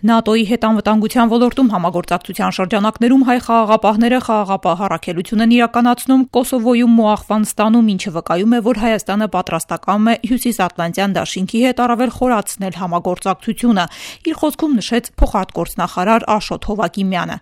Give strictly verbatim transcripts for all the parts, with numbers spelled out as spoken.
ՆԱՏՕ-ի հետ անվտանգության ոլորտում համագործակցության շրջանակներում հայ խաղաղապահները խաղաղապահ առաքելություն են իրականացնում Կոսովոյում ու Աֆղանստանում, ինչը վկայում է, որ Հայաստանը պատրաստակամ է Հյուսիսատլանտյան դաշինքի հետ առավել խորացնել համագործակցությունը, իր խոսքում նշեց փոխարտգործնախարար Աշոտ Հովակիմյանը։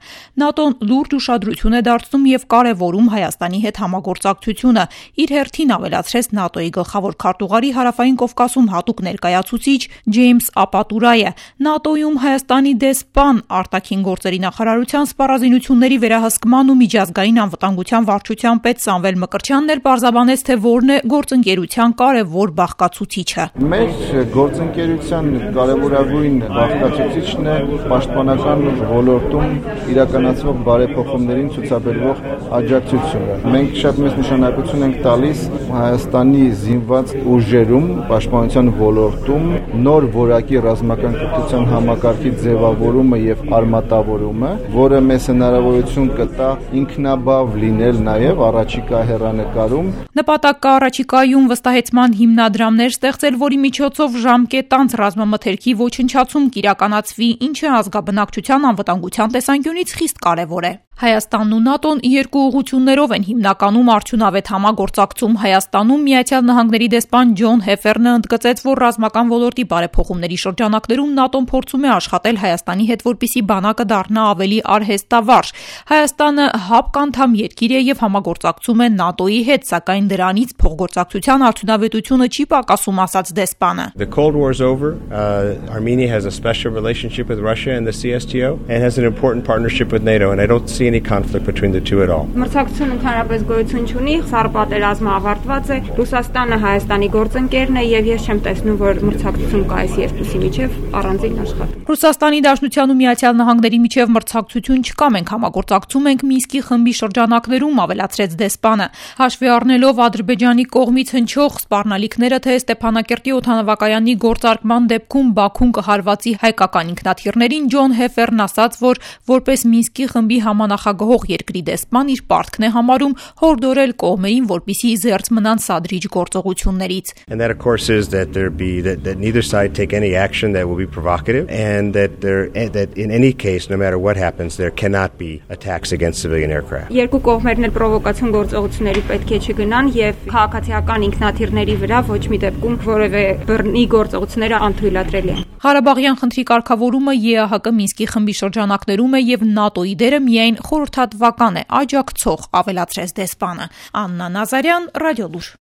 ՆԱՏՕ-ն լուրջ ուշադրություն է դարձնում եւ կարեւորում Հայաստանի հետ համագործակցությունը, իր հերթին ավելացրեց ՆԱՏՕ-ի գլխավոր քարտուղարի Հարավային Կովկասում հատուկ ներկայացուցիչ Ջեյմս Ապատուրայը։ ՆԱՏՕ-ում Հայաստանի դեսպան արտաքին գործերի նախարարության սպառազինությունների վերահսկման ու միջազգային անվտանգության վարչության պետ Սամվել Մկրտչյանն էլ պարզաբանեց, թե որն է գործընկերության կարևոր բաղկացուցիչը։ Մեր գործընկերության կարևորագույն բաղկացուցիչն է պաշտպանական ոլորտում իրականացվող բարեփոխումներին ցուցաբերվող աջակցությունը։ Մենք շատ մեծ նշանակություն ենք տալիս Հայաստանի զինված ուժերում պաշտպանության ոլորտում նոր որակի ռազմական կրթության համակարգի ձևավորումը եւ արմատավորումը, որը մեզ հնարավորություն կտա ինքնաբավ լինել նաեւ առաջիկա հեռանկարում։ Նպատակ կա առաջիկայում վստահեցման հիմնադրամներ ստեղծել, որի միջոցով ժամկետանց ռազմամթերքի ոչնչացում կիրականացվի, ինչը ազգաբնակչության անվտանգության տեսանկյունից խիստ կարևոր է։ Հայաստանն ու ՆԱՏՕ-ն երկու ուղղություններով են հիմնականում արդյունավետ համագործակցում։ Հայաստանում Միացյալ Նահանգների դեսպան Ջոն Հեֆերնը ընդգծեց, որ ռազմական ոլորտի բարեփոխումների շրջանակներում ՆԱՏՕ-ն փորձում է աշխատել Հայաստանի հետ, որպեսզի բանակը դառնա ավելի արհեստավարժ։ Հայաստանը ՀԱՊԿ անդամ երկիր է եւ համագործակցում է ՆԱՏՕ-ի հետ, սակայն դրանից փոխգործակցության արդյունավետությունը չի պակասում, ասաց դեսպանը։ The Cold War is over. Uh, Armenia has a special relationship with Russia and the C S T O and has an important partnership with NATO, and I don't see any conflict between the two at all. Մրցակցությունը ընդհանրապես գոյություն չունի, սառը պատերազմը ավարտված է, Ռուսաստանը Հայաստանի գործընկերն է եւ ես չեմ տեսնում, որ մրցակցություն կա այս երկուսի միջեւ առանձին աշխատում։ Ռուսաստանի Դաշնության ու Միացյալ Նահանգների միջև մրցակցություն չկա, մենք համագործակցում ենք Մինսկի խմբի շրջանակներում, ավելացրեց դեսպանը։ Հաշվի առնելով Ադրբեջանի կողմից հնչող սպառնալիքները, թե Ստեփանակերտի օդանավակայանի գործարկման դեպքում Բաքուն կհարվածի հայկական ինքնաթիռներին, Ջոն Հեֆերն ասաց, որ որպես Մինսկի խմբի համանախագահող երկրի դեսպան իր պարտքն է համարում հորդորել կողմերին, որպեսզի զերծ մնան սադրիչ գործողություններից։ And that of course is that there be that, that neither side take any action that will be provocative, and that there that in any case, no matter what happens, there cannot be attacks against civilian aircraft. Երկու կողմերն էլ պրովոկացիոն գործողությունների պետք է չգնան եւ քաղաքացիական ինքնաթիռների վրա ոչ մի դեպքում որևէ բռնի գործողությունները անթույլատրելի են։ Ղարաբաղյան խնդրի կարգավորումը ԵԱՀԿ Մինսկի խմբի շրջանակներում է եւ ՆԱՏՕ-ի դերը միայն խորհրդատվական է, աջակցող, ավելացրեց դեսպանը։ Աննա Նազարյան, Ռադիոլուր։